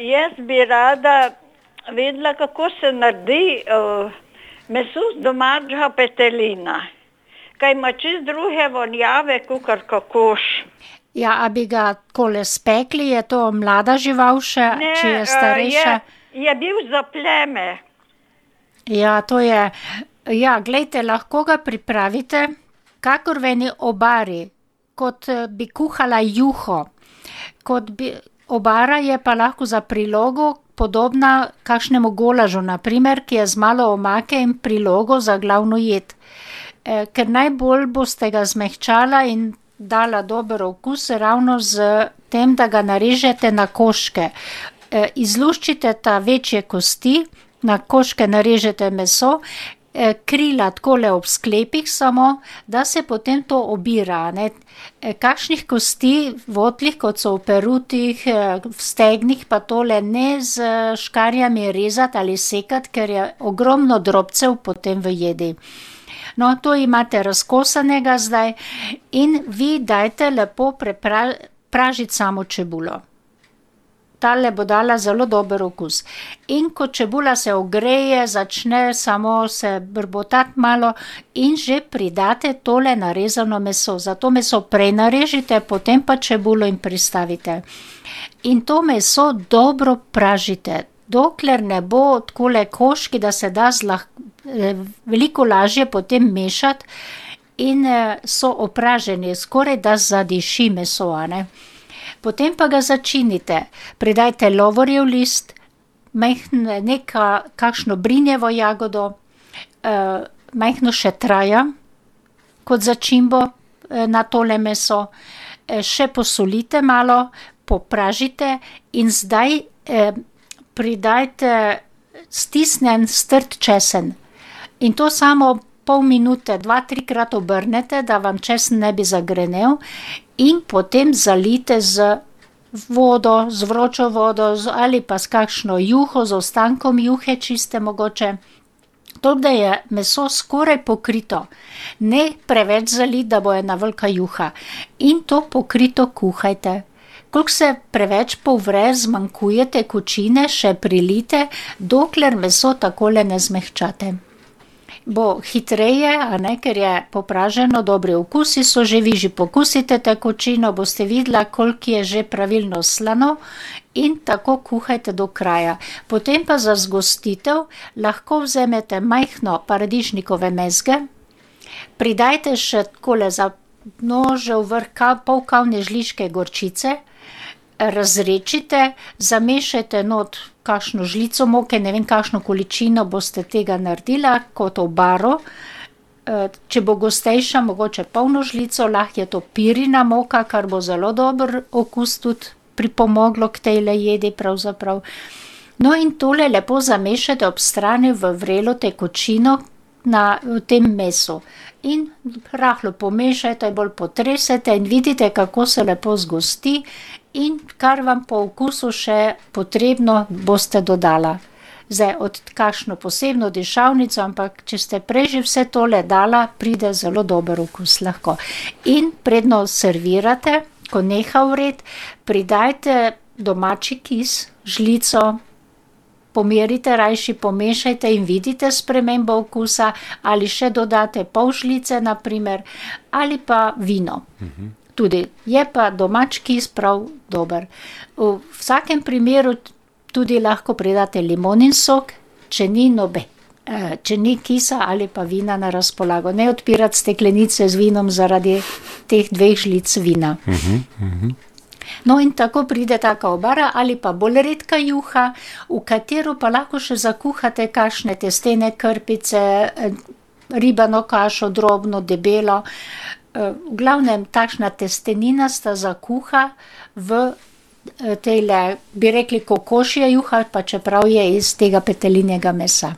Jaz bi rada vedela, kako se naredi meso z domačega petelina. Kaj ima čisto druge vonjave, kakor kokoš. Ja, a bi ga takole spekli, je to mlada žival še, če je starejša? Je bil za pleme. Ja, to je, ja, glejte, lahko ga pripravite, kakor v eni obari, kot bi kuhala juho. Obara je pa lahko za prilogo podobna kakšnemu golažu, na primer, ki je z malo omake in prilogo za glavno jed. Ker najbolj boste ga zmehčala in dala dober okus ravno z tem, da ga narežete na koščke. Izluščite ta večje kosti, na koščke narežete meso, krila takole ob sklepih samo, da se potem to obira, ne. Kakšnih kosti votlih, kot so v perutih, v stegnih, pa tole ne z škarjami rezati ali sekati, ker je ogromno drobcev potem v jedi. No, to imate razkosanega zdaj in vi dajte lepo pražiti samo čebulo. Tale bo dala zelo dober okus. In ko čebula se ogreje, začne samo se brbotati malo in že pridate tole narezano meso. Zato meso prej narežite, potem pa čebulo in pristavite. In to meso dobro pražite, dokler ne bo takole koščki, da se da veliko lažje potem mešati in so opraženi, skoraj da zadiši meso, a ne. Potem pa ga začinite. Pridajte lovorjev list, kakšno brinjevo jagodo, majhno šetraja kot začimbo na tole meso. Še posolite malo, popražite in zdaj pridajte stisnjen strt česen. In to samo pol minute, 2-3krat obrnete, da vam česen ne bi zagrenel in potem zalijte z vodo, z vročo vodo ali pa s kakšno juho, z ostankom juhe čiste mogoče. Toliko, da je meso skoraj pokrito. Ne preveč zaliti, da bo ena velika juha. In to pokrito kuhajte. Koliko se preveč povre, zmanjkuje tekočine, še prilijte, dokler meso takole ne zmehčate. Bo hitreje, a ne, ker je popraženo, dobri okusi so že, vi že pokusite tekočino, boste videla, koliko je že pravilno slano in tako kuhajte do kraja. Potem pa za zgostitev lahko vzamete majhno paradižnikove mezge, pridajte še takole za nožev vrh pol kavne žličke gorčice, razredčite, zamešajte not kakšno žlico moke, ne vem, kakšno količino boste tega naredila, kot obaro. Če bo gostejša, mogoče polno žlico, lahko je to pirina moka, kar bo zelo dober okus tudi pripomoglo k tejle jedi pravzaprav. No, in tole lepo zamešajte ob strani v vrelo tekočino v tem mesu. In rahlo pomešajte, bolj potresete in vidite, kako se lepo zgosti in kar vam po okusu še potrebno boste dodala. Zdaj, od kakšno posebno dišavnico, ampak če ste prej že vse tole dala, pride zelo dober okus lahko. In predno servirate, ko neha vreti, pridajte domači kis, žlico, pomerite, rajši pomešajte in vidite spremembo okusa, ali še dodate pol žlice, na primer, ali pa vino. Tudi je pa domač kis prav dober. V vsakem primeru tudi lahko pridate limonin sok, če ni kisa ali pa vina na razpolago. Ne odpirati steklenice z vinom zaradi teh 2 žlic vina. No, in tako pride taka obara ali pa bolj redka juha, v katero pa lahko še zakuhate kakšne testene krpice, ribano kašo, drobno, debelo. V glavnem, takšna testeninasta zakuha v tejle, bi rekli, kokošja juha, pa čeprav je iz tega petelinjega mesa.